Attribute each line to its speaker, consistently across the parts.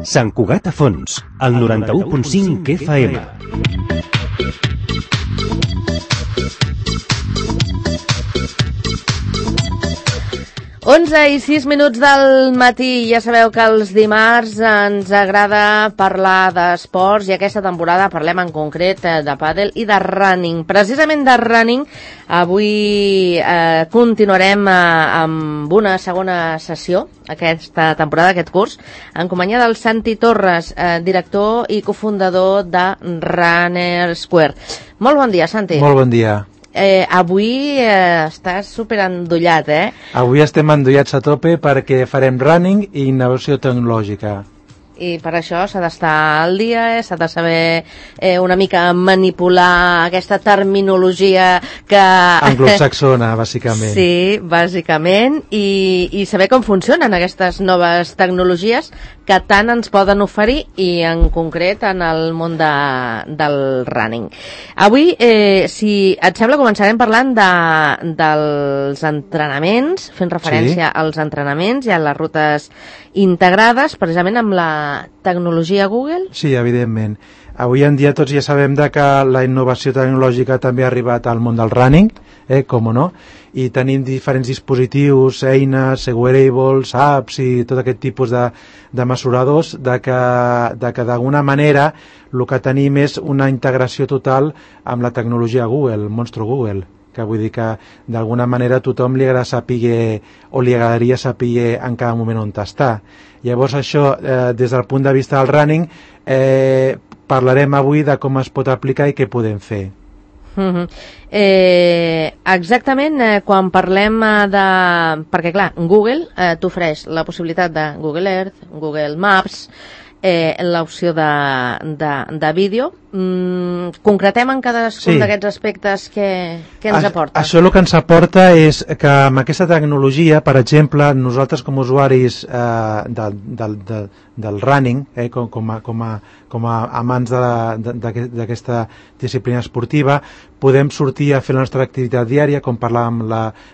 Speaker 1: Sant Cugat a Fons, al 91.5 FM.
Speaker 2: Onze i 6 minuts del matí. Ja sabeu que els dimarts ens agrada parlar d'esports i aquesta temporada parlem en concret de pàdel i de running. Precisament de running, avui continuarem amb una segona sessió, aquesta temporada, aquest curs, en companyia del Santi Torres, director i cofundador de Runner Square. Molt bon dia, Santi.
Speaker 3: Molt bon dia.
Speaker 2: Avui estàs superendollat,
Speaker 3: Avui estem endollats a tope perquè farem running i innovació tecnològica.
Speaker 2: I per això s'ha d'estar al dia, s'ha de saber una mica manipular aquesta terminologia que...
Speaker 3: Anglosaxona, bàsicament.
Speaker 2: Sí, bàsicament, i saber com funcionen aquestes noves tecnologies que tant ens poden oferir i en concret en el món del running. Avui, si et sembla, començarem parlant dels entrenaments, fent referència als entrenaments i a les rutes integrades, precisament amb la tecnologia Google?
Speaker 3: Sí, evidentment. Avui en dia tots ja sabem que la innovació tecnològica també ha arribat al món del running, com no, i tenim diferents dispositius, eines, wearables, apps i tot aquest tipus de mesuradors que d'alguna manera el que tenim és una integració total amb la tecnologia Google, el monstru Google, que vull dir que d'alguna manera a tothom li agrada saber o li agradaria saber en cada moment on està. Llavors això, des del punt de vista del running, parlarem avui de com es pot aplicar i què podem fer.
Speaker 2: Exactament, quan parlem de... Perquè clar, Google t'ofereix la possibilitat de Google Earth, Google Maps, l'opció de vídeo. Concretem en cadascun d'aquests aspectes que ens aporta.
Speaker 3: Això el que ens aporta és que amb aquesta tecnologia, per exemple, nosaltres com a usuaris del running, com a amants d'aquesta disciplina esportiva, podem sortir a fer la nostra activitat diària, com parlàvem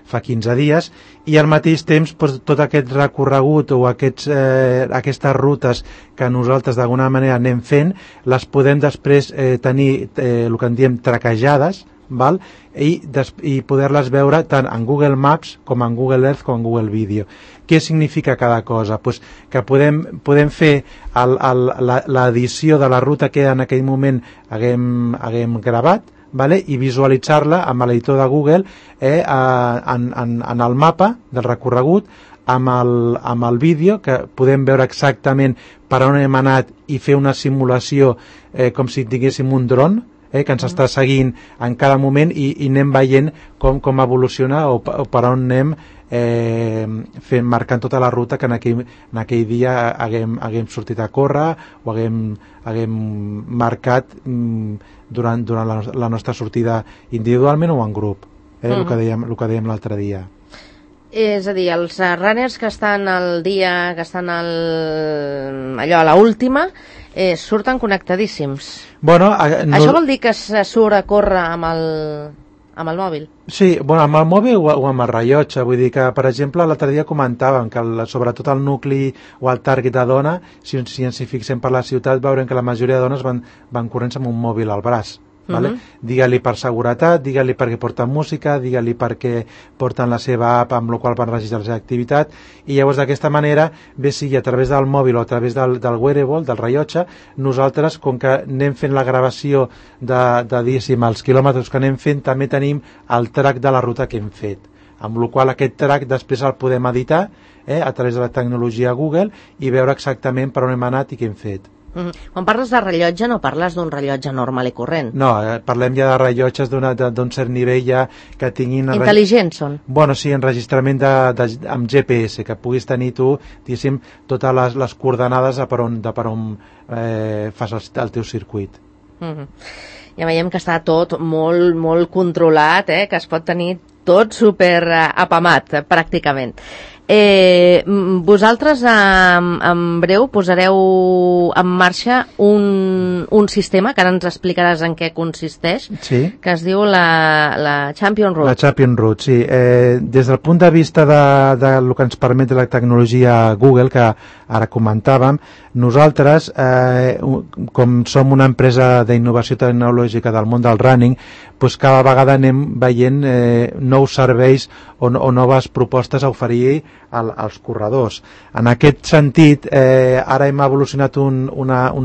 Speaker 3: fa 15 dies, i al mateix temps tot aquest recorregut o aquestes rutes que nosaltres d'alguna manera anem fent, les podem després tenir el que en diem traquejades, val? I poder-les veure tant en Google Maps com en Google Earth com en Google Video. Què significa cada cosa? Pues que podem fer l'edició de la ruta que en aquell moment haguem gravat, vale? I visualitzar-la amb l'editor de Google en el mapa del recorregut, amb el vídeo, que podem veure exactament per on hem anat i fer una simulació com si tinguéssim un dron, que ens està seguint en cada moment i anem veient com evoluciona o per on anem marcant tota la ruta que en aquell dia haguem sortit a córrer o haguem marcat durant la nostra sortida individualment o en grup, el que dèiem l'altre dia.
Speaker 2: És a dir, els runners que estan al dia, que estan allò a l'última, surten connectadíssims.
Speaker 3: Bueno,
Speaker 2: això vol dir que se surt a córrer amb el mòbil?
Speaker 3: Sí, bueno, amb el mòbil o amb el rellotge. Vull dir que, per exemple, l'altre dia comentàvem que sobretot el nucli o el target de dona, si ens hi fixem per la ciutat, veurem que la majoria de dones van corrents amb un mòbil al braç. Vale? Digue-li per seguretat, digue-li perquè porten música, digue-li perquè porten la seva app amb la qual van registrar la seva activitat, i llavors d'aquesta manera, bé sigui a través del mòbil o a través del wearable, del rellotge, nosaltres, com que anem fent la gravació diguéssim, els quilòmetres que anem fent, també tenim el track de la ruta que hem fet, amb la qual aquest track després el podem editar a través de la tecnologia Google i veure exactament per on hem anat i què hem fet.
Speaker 2: Quan parles de rellotge no parles d'un rellotge normal i corrent.
Speaker 3: No, parlem ja de rellotges d'un cert nivell ja que tinguin...
Speaker 2: Intel·ligents són?
Speaker 3: Bueno, sí, enregistrament amb GPS, que puguis tenir tu, diguéssim, totes les coordenades de per on fas el teu circuit.
Speaker 2: Ja veiem que està tot molt, molt controlat, que es pot tenir tot super apamat, pràcticament. Vosaltres en breu posareu en marxa un sistema, que ara ens explicaràs en què consisteix,
Speaker 3: sí,
Speaker 2: que es diu la Champion Route.
Speaker 3: La Champion Route, sí. Des del punt de vista de lo que ens permet la tecnologia Google, que ara comentàvem, nosaltres, com som una empresa d'innovació tecnològica del món del running, doncs cada vegada anem veient nous serveis o noves propostes a oferir als corredors. En aquest sentit, ara hem evolucionat un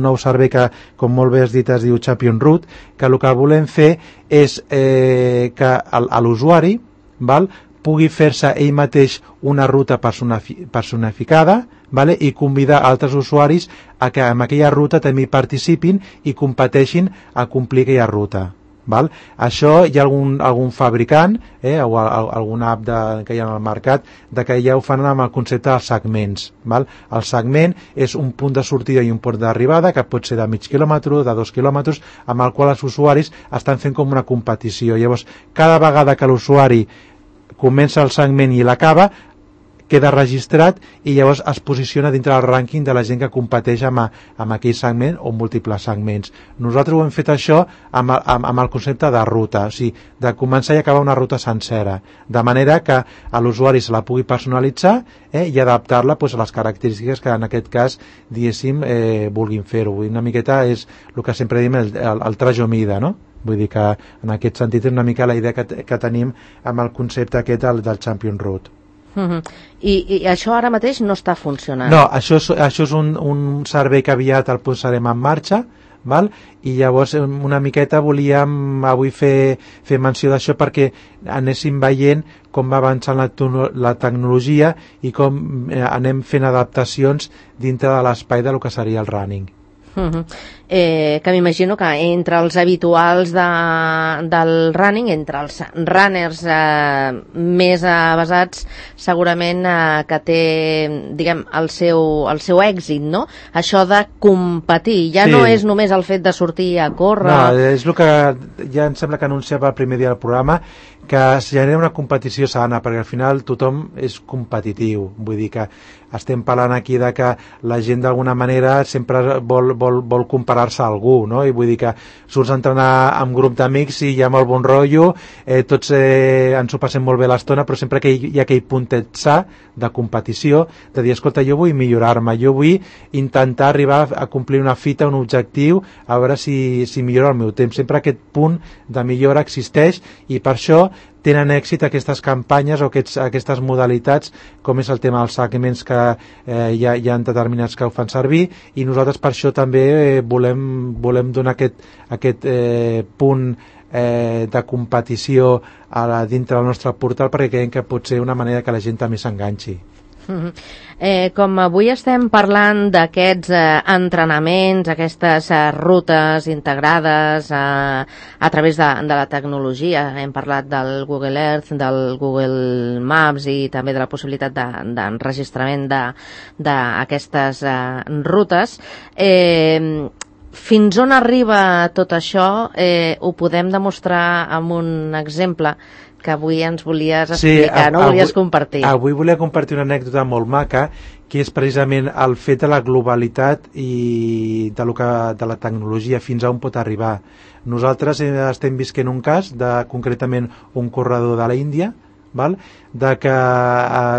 Speaker 3: nou servei que, com molt bé has dit, es diu Champion Route, que el que volem fer és que l'usuari pugui fer-se ell mateix una ruta personificada, i convidar altres usuaris a que en aquella ruta també hi participin i competeixin a complir aquella ruta. Això hi ha algun fabricant o alguna app que hi ha al mercat que ja ho fan amb el concepte dels segments. El segment és un punt de sortida i un punt d'arribada que pot ser de mig quilòmetre, de 2 quilòmetres, amb el qual els usuaris estan fent com una competició. Llavors, cada vegada que l'usuari comença el segment i l'acaba, queda registrat i llavors es posiciona dintre del rànquing de la gent que competeix amb aquell segment o múltiples segments. Nosaltres ho hem fet això amb el concepte de ruta, o sigui, de començar i acabar una ruta sencera, de manera que l'usuari se la pugui personalitzar i adaptar-la a les característiques que en aquest cas, diguéssim, vulguin fer-ho. Una miqueta és el que sempre diem el trajo mida, no? Vull dir que en aquest sentit és una mica la idea que tenim amb el concepte aquest del Champion Route.
Speaker 2: I això ara mateix no està funcionant?
Speaker 3: No, això és un servei que aviat el posarem en marxa, i llavors una miqueta volíem avui fer menció d'això perquè anéssim veient com va avançant la tecnologia i com anem fent adaptacions dintre de l'espai del que seria el running.
Speaker 2: Que m'imagino que entre els habituals del running, entre els runners més avasats, segurament que té, diguem, el seu èxit, no? Això de competir, ja no és només el fet de sortir a córrer.
Speaker 3: No, és el que ja em sembla que anunciava el primer dia del programa, que es genera una competició sana, perquè al final tothom és competitiu, vull dir que estem parlant aquí de que la gent d'alguna manera sempre vol comparar-se a algú, no? I vull dir que surts a entrenar amb grup d'amics i hi ha molt bon rotllo, tots ens ho passem molt bé l'estona, però sempre que hi ha aquell puntet sa de competició, de dir, escolta, jo vull millorar-me, jo vull intentar arribar a complir una fita, un objectiu, a veure si millora el meu temps. Sempre aquest punt de millora existeix i per això tenen èxit aquestes campanyes o aquestes modalitats, com és el tema dels segments que hi ha determinats que ho fan servir, i nosaltres per això també volem donar aquest punt de competició dintre del nostre portal, perquè creiem que pot ser una manera que la gent també s'enganxi.
Speaker 2: Com avui estem parlant d'aquests entrenaments, aquestes rutes integrades a través de la tecnologia, hem parlat del Google Earth, del Google Maps i també de la possibilitat d'enregistrament d'aquestes rutes, fins on arriba tot això? Ho podem demostrar amb un exemple que avui ens volies explicar, volies compartir.
Speaker 3: Avui volia compartir una anècdota molt maca, que és precisament el fet de la globalitat i de la tecnologia, fins a on pot arribar. Nosaltres estem visquent un cas concretament un corredor de la Índia, de que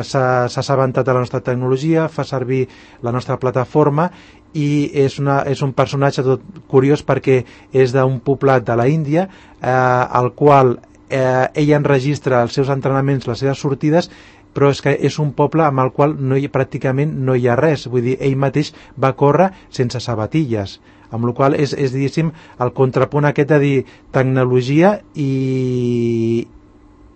Speaker 3: s'ha assabentat de la nostra tecnologia, fa servir la nostra plataforma i és un personatge tot curiós perquè és d'un poblat de la Índia, al qual ell enregistra els seus entrenaments, les seves sortides, però és que és un poble amb el qual pràcticament no hi ha res, vull dir, ell mateix va córrer sense sabatilles, amb la qual és diguéssim, el contrapunt aquest de dir tecnologia i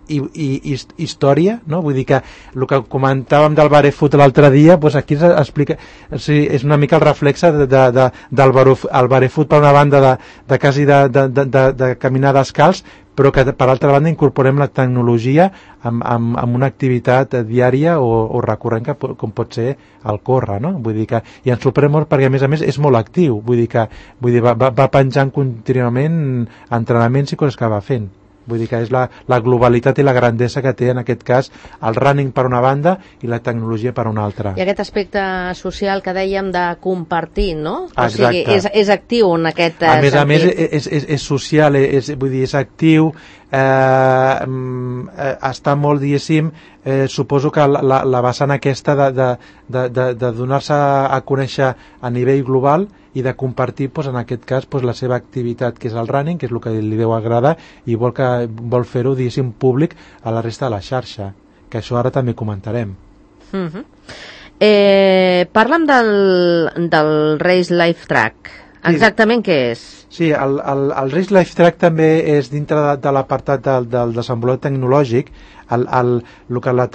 Speaker 3: història, no? Vull dir que el que comentàvem del barefoot l'altre dia, doncs aquí explica, és una mica el reflexe del barefoot per una banda de quasi de caminar descalç, però que per altra banda incorporem la tecnologia amb una activitat diària o recurrent com pot ser el córrer, no? Vull dir que, i ens sorprèn molt perquè a més és molt actiu, vull dir va penjant contínuament entrenaments i coses que va fent. Vull dir que és la globalitat i la grandesa que té en aquest cas el running per una banda i la tecnologia per una altra.
Speaker 2: I aquest aspecte social que dèiem de compartir, no?
Speaker 3: Exacte.
Speaker 2: O sigui, és actiu en aquest sentit.
Speaker 3: A més, és social, vull dir, és actiu, està molt, diguéssim, suposo que la vessant aquesta de donar-se a conèixer a nivell global i de compartir, doncs, en aquest cas, doncs, la seva activitat, que és el running, que és el que li deu agradar, i vol fer-ho, diguéssim, públic a la resta de la xarxa, que això ara també comentarem.
Speaker 2: Parla'm del Race Life Track. Exactament què és?
Speaker 3: Sí, el Race Life Track també és dintre de l'apartat del desenvolupament tecnològic. El que la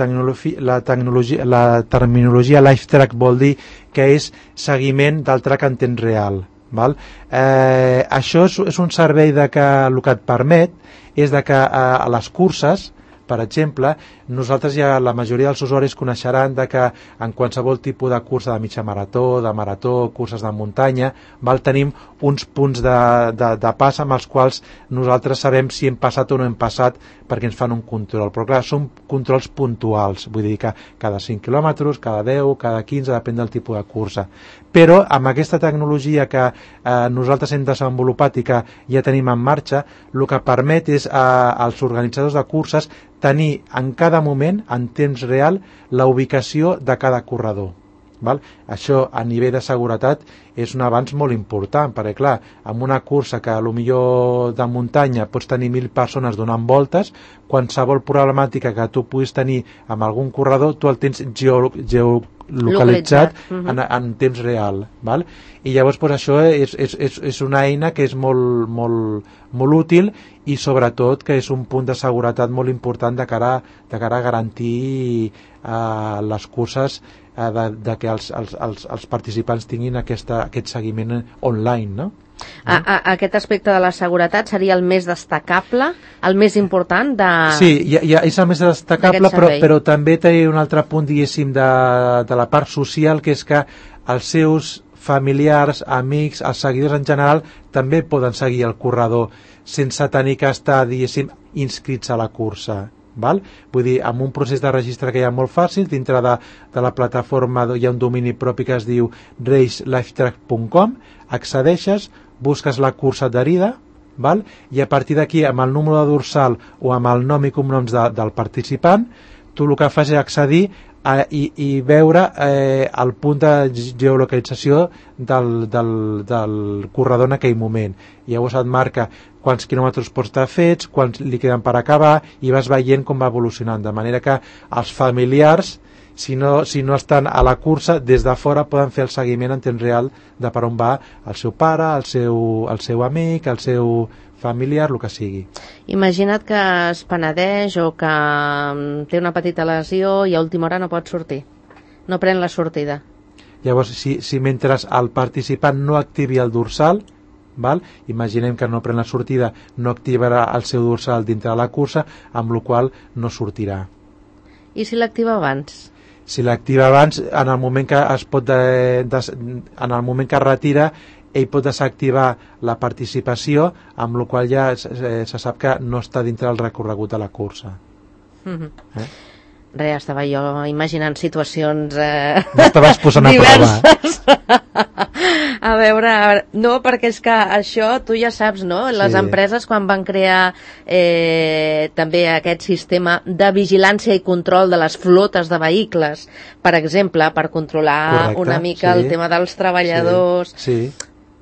Speaker 3: terminologia Life Track vol dir que és seguiment del track en temps real. Val? Això és un servei que el que et permet és que a les curses, per exemple, nosaltres ja la majoria dels usuaris coneixeran que en qualsevol tipus de cursa de mitja marató, de marató, curses de muntanya, tenim uns punts de pas amb els quals nosaltres sabem si hem passat o no hem passat perquè ens fan un control. Però clar, són controls puntuals, vull dir que cada 5 quilòmetres, cada 10, cada 15, depèn del tipus de cursa. Però amb aquesta tecnologia que nosaltres hem desenvolupat i que ja tenim en marxa, el que permet és als organitzadors de curses tenir en cada moment, en temps real, la ubicació de cada corredor. Val? Això a nivell de seguretat és un avanç molt important, perquè clar, amb una cursa que potser de muntanya pots tenir 1.000 persones donant voltes, qualsevol problemàtica que tu puguis tenir amb algun corredor, tu el tens geolocalitzat en temps real. Val? I llavors això és una eina que és molt útil i sobretot que és un punt de seguretat molt important de cara a garantir les curses que els participants tinguin aquest seguiment online, no?
Speaker 2: Aquest aspecte de la seguretat seria el més destacable, el més important
Speaker 3: Sí, és el més destacable, però també té un altre punt, diguéssim, de la part social, que és que els seus familiars, amics, els seguidors en general també poden seguir el corredor sense tenir que estar, diguéssim, inscrits a la cursa. Val? Vull dir, amb un procés de registre que hi ha molt fàcil, dintre de la plataforma hi ha un domini propi que es diu racelifetrack.com, accedeixes, busques la cursa adherida, val? I a partir d'aquí, amb el número de dorsal o amb el nom i cognoms del participant, tu el que fas és accedir i veure el punt de geolocalització del corredor en aquell moment. I llavors et marca quants quilòmetres pots estar fets, quants li queden per acabar, i vas veient com va evolucionant, de manera que els familiars, si no estan a la cursa, des de fora poden fer el seguiment en temps real de per on va el seu pare, el seu amic, el seu familiar, el que sigui.
Speaker 2: Imagina't que es penedeix o que té una petita lesió i a última hora no pot sortir, no pren la sortida.
Speaker 3: Llavors, si mentre el participant no activi el dorsal, val? Imaginem que no pren la sortida, no activarà el seu dorsal dintre de la cursa, amb la qual no sortirà.
Speaker 2: I si l'activa abans?
Speaker 3: Si l'activa abans, en el moment que en el moment que es retira, ell pot desactivar la participació, amb la qual ja se sap que no està dintre del recorregut de la cursa.
Speaker 2: Res, estava jo imaginant situacions
Speaker 3: m'estaves posant
Speaker 2: diverses. A veure, no, perquè és que això tu ja saps, no? Les empreses quan van crear també aquest sistema de vigilància i control de les flotes de vehicles, per exemple, per controlar una mica el tema dels treballadors.
Speaker 3: Sí.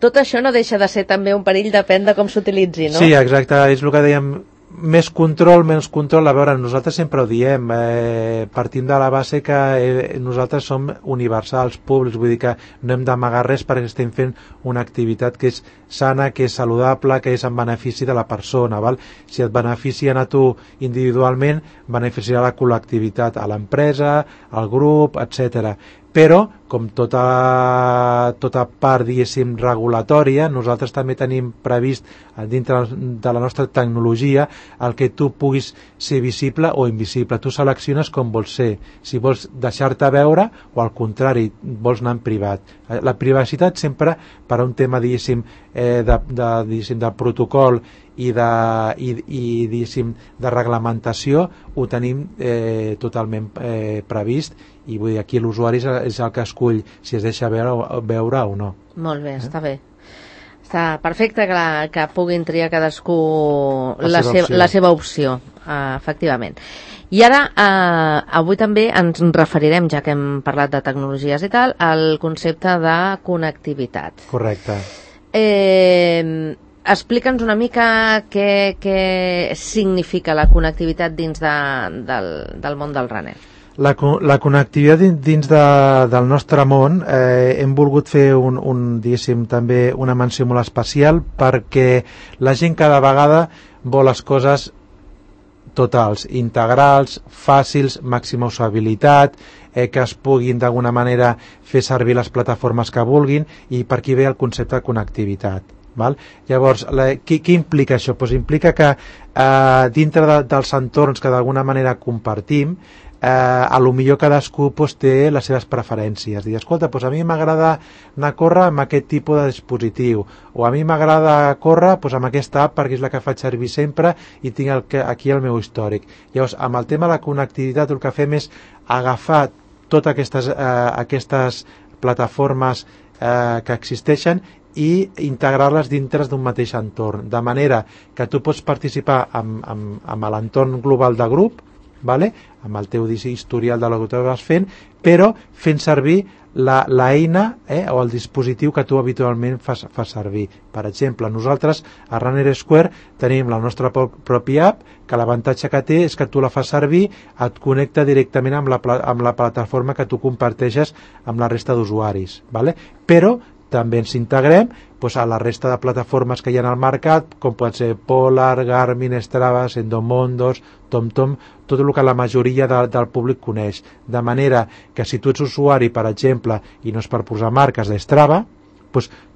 Speaker 2: Tot això no deixa de ser també un perill, depèn de com s'utilitzi, no?
Speaker 3: Sí, exacte, és el que dèiem, més control, menys control. A veure, nosaltres sempre ho diem, partim de la base que nosaltres som universals, públics, vull dir que no hem d'amagar res perquè estem fent una activitat que és sana, que és saludable, que és en benefici de la persona, val? Si et beneficien a tu individualment, beneficiarà la col·lectivitat, a l'empresa, al grup, etc. Però, com tota part, diguéssim, regulatòria, nosaltres també tenim previst dintre de la nostra tecnologia el que tu puguis ser visible o invisible. Tu selecciones com vols ser, si vols deixar-te veure o al contrari, vols anar en privat. La privacitat sempre per a un tema, diguéssim, de protocol i diguéssim, de reglamentació ho tenim totalment previst, i vull dir, aquí l'usuari és el que escull si es deixa veure o no.
Speaker 2: Molt bé, està bé. Està perfecte que puguin triar cadascú la seva opció, efectivament. I ara, avui també ens referirem, ja que hem parlat de tecnologies i tal, al concepte de connectivitat.
Speaker 3: Correcte.
Speaker 2: Explica'ns una mica què significa la connectivitat dins del món del runner.
Speaker 3: La connectivitat dins del nostre món, hem volgut fer diguéssim, també una menció molt especial, perquè la gent cada vegada vol les coses totals, integrals, fàcils, màxima usabilitat, que es puguin d'alguna manera fer servir les plataformes que vulguin, i per aquí ve el concepte de connectivitat. Val? Llavors, què implica això? Pues implica que dintre dels entorns que d'alguna manera compartim, a lo millor cadascú té les seves preferències. Dir, escolta, a mi m'agrada anar a córrer amb aquest tipus de dispositiu, o a mi m'agrada córrer amb aquesta app perquè és la que faig servir sempre i tinc aquí el meu històric. Llavors, amb el tema de la connectivitat, el que fem és agafar totes aquestes plataformes que existeixen i integrar-les dintre d'un mateix entorn, de manera que tu pots participar amb l'entorn global de grup, vale? Amb el teu historial de lo que tu vas fent, però fent servir l'eina o el dispositiu que tu habitualment fas servir. Per exemple, nosaltres a Runner Square tenim la nostra pròpia app, que l'avantatge que té és que tu la fas servir, et connecta directament amb la plataforma que tu comparteixes amb la resta d'usuaris, vale? Però també ens integrem a la resta de plataformes que hi ha al mercat, com pot ser Polar, Garmin, Strava, Endomondos, TomTom, tot el que la majoria del públic coneix. De manera que si tu ets usuari, per exemple, i no és per posar marques d'Strava,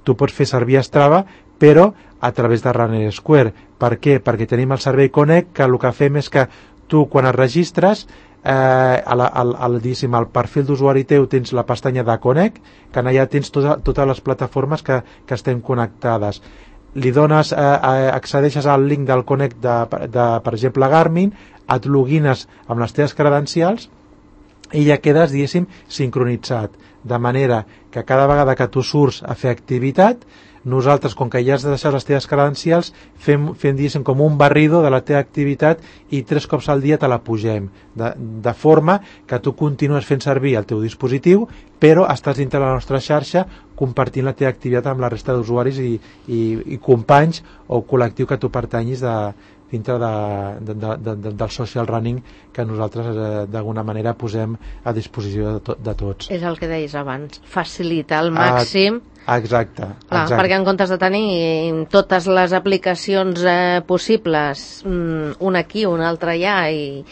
Speaker 3: tu pots fer servir Strava, però a través de Runner Square. Per què? Perquè tenim el servei Connect, que el que fem és que tu, quan et registres, al perfil d'usuari teu tens la pestanya de Connect, que allà tens totes les plataformes que estem connectades. Li dones, accedeixes al link del Connect per exemple, Garmin, et logines amb les teves credencials i ja quedes, diguéssim, sincronitzat. De manera que cada vegada que tu surts a fer activitat, nosaltres, com que ja has de deixar les teves credencials, fem diguéssim, com un barrido de la teva activitat i 3 cops al dia te la pugem, de forma que tu continues fent servir el teu dispositiu, però estàs dintre la nostra xarxa compartint la teva activitat amb la resta d'usuaris i companys o col·lectiu que tu pertanyis dintre del social running que nosaltres d'alguna manera posem a disposició de tots.
Speaker 2: És el que deies abans, facilitar al màxim.
Speaker 3: Exacte.
Speaker 2: Perquè en comptes de tenir totes les aplicacions possibles, una aquí, una altra allà, i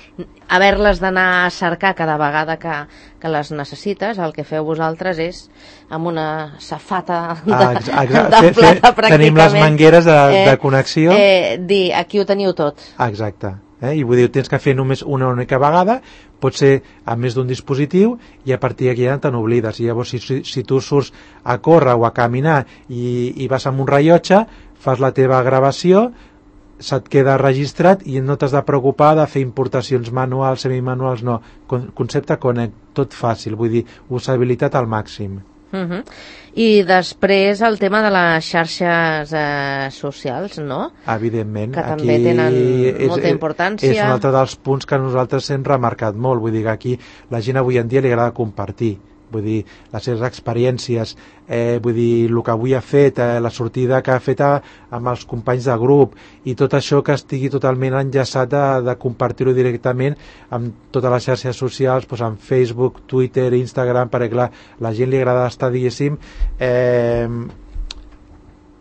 Speaker 2: haver-les d'anar a cercar cada vegada que les necessites, el que feu vosaltres és amb una safata de plata pràcticament.
Speaker 3: Tenim les mangueres de connexió.
Speaker 2: Dir, aquí ho teniu tot.
Speaker 3: Exacte. I vull dir, tens que fer només una única vegada, pot ser a més d'un dispositiu, i a partir d'aquí ja te n'oblides. I llavors, si tu surts a córrer o a caminar i vas amb un rellotge, fas la teva gravació, se't queda registrat i no t'has de preocupar de fer importacions manuals, semimanuals, no. Concepte Connect, tot fàcil, vull dir, usabilitat al màxim.
Speaker 2: I després el tema de les xarxes socials, no?
Speaker 3: Evidentment.
Speaker 2: Que també tenen molta importància.
Speaker 3: És un altre dels punts que nosaltres hem remarcat molt. Vull dir que aquí la gent avui en dia li agrada compartir. Vull dir, les seves experiències, vull dir, el que avui ha fet, la sortida que ha fet amb els companys de grup, i tot això que estigui totalment enllaçat de compartir-ho directament amb totes les xarxes socials, amb Facebook, Twitter, Instagram, perquè clar, la gent li agrada estar, diguéssim,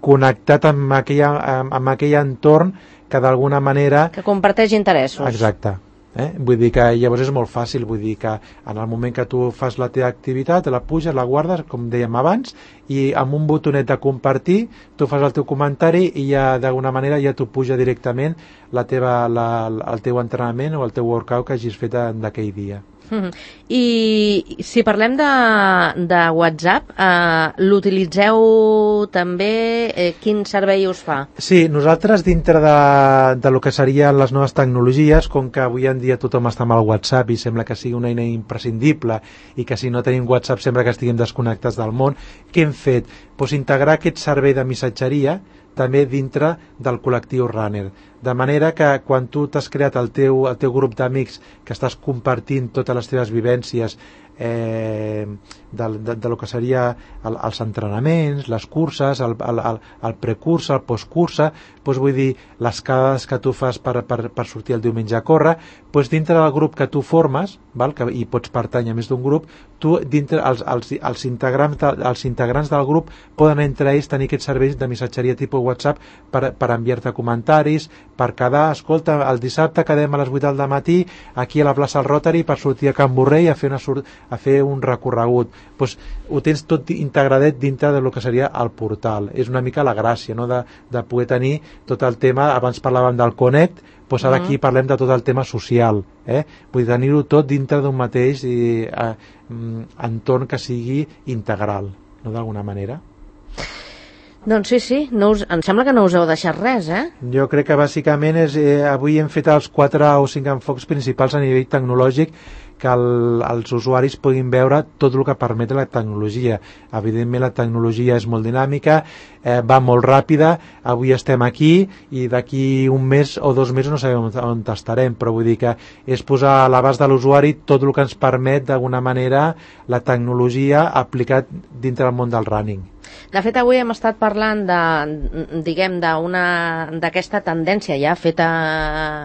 Speaker 3: connectat amb aquell entorn que d'alguna manera...
Speaker 2: Que comparteix interessos.
Speaker 3: Exacte. Vull dir que llavors és molt fàcil, vull dir que en el moment que tu fas la teva activitat, la puges, la guardes, com dèiem abans, i amb un botonet de compartir tu fas el teu comentari i ja d'alguna manera ja t'ho puja directament el teu entrenament o el teu workout que hagis fet d'aquell dia.
Speaker 2: I si parlem de WhatsApp, l'utilitzeu també? Quin servei us fa?
Speaker 3: Sí, nosaltres dintre de lo que serien les noves tecnologies, com que avui en dia tothom està amb el WhatsApp i sembla que sigui una eina imprescindible i que si no tenim WhatsApp sembla que estiguem desconnectats del món, què hem fet? Pues integrar aquest servei de missatgeria també dintre del col·lectiu Runner. De manera que quan tu t'has creat el teu grup d'amics que estàs compartint totes les teves vivències de lo que seria els entrenaments, les curses, el precursa, el postcursa, doncs vull dir, les quedades que tu fas per sortir el diumenge a córrer, doncs dintre del grup que tu formes, i pots pertànyer a més d'un grup, tu dintre els integrants del grup poden entre ells tenir aquests serveis de missatgeria tipus WhatsApp per enviar-te comentaris, per quedar, escolta, el dissabte quedem a les 8 del matí aquí a la plaça del Rotary per sortir a Can Borrell a fer un recorregut. Doncs ho tens tot integradet dintre del que seria el portal. És una mica la gràcia, no? de poder tenir tot el tema, abans parlàvem del Connect, doncs ara aquí parlem de tot el tema social. Vull tenir-ho tot dintre d'un mateix entorn que sigui integral, no d'alguna manera.
Speaker 2: Doncs sí, em sembla que no us heu deixat res,
Speaker 3: Jo crec que bàsicament avui hem fet els 4 o 5 enfocs principals a nivell tecnològic que els usuaris puguin veure tot el que permet la tecnologia. Evidentment la tecnologia és molt dinàmica, va molt ràpida, avui estem aquí i d'aquí un mes o 2 mesos no sabem on estarem, però vull dir que és posar a l'abast de l'usuari tot el que ens permet d'alguna manera la tecnologia aplicat dintre del món del running.
Speaker 2: De fet, avui hem estat parlant d'aquesta tendència ja feta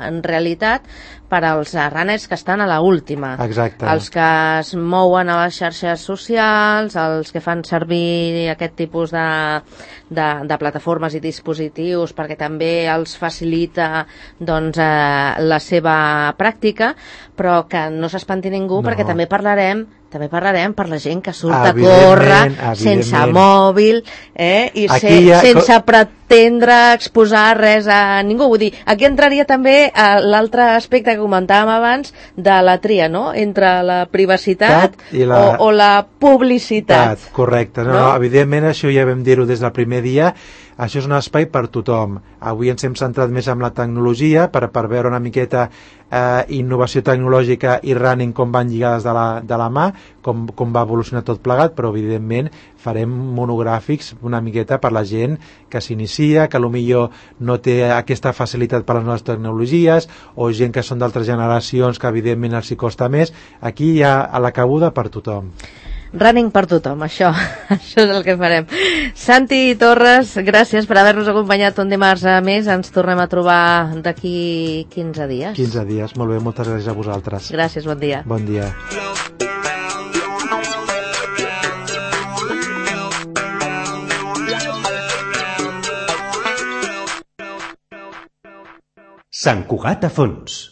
Speaker 2: en realitat per als runners que estan a l'última.
Speaker 3: Exacte.
Speaker 2: Els que es mouen a les xarxes socials, els que fan servir aquest tipus de plataformes i dispositius perquè també els facilita la seva pràctica, però que no s'espanti ningú perquè també parlarem per la gent que surt a córrer sense mòbil i sense pretendre exposar res a ningú. Vull dir, aquí entraria també l'altre aspecte que comentàvem abans de la tria, no? Entre la privacitat o la publicitat.
Speaker 3: Correcte. No? Evidentment, això ja vam dir-ho des del primer dia, això és un espai per tothom. Avui ens hem centrat més en la tecnologia per veure una miqueta innovació tecnològica i running com van lligades de la mà, com va evolucionar tot plegat, però evidentment farem monogràfics una miqueta per la gent que s'inicia, que potser no té aquesta facilitat per les noves tecnologies, o gent que són d'altres generacions que evidentment els hi costa més. Aquí hi ha a la cabuda per tothom.
Speaker 2: Running per tothom, això és el que farem. Santi Torres, gràcies per haver-nos acompanyat un dimarts més. Ens tornem a trobar d'aquí 15 dies.
Speaker 3: 15 dies, molt bé, moltes gràcies a vosaltres.
Speaker 2: Gràcies, bon dia.
Speaker 3: Bon dia.
Speaker 1: Sant Cugat a fons.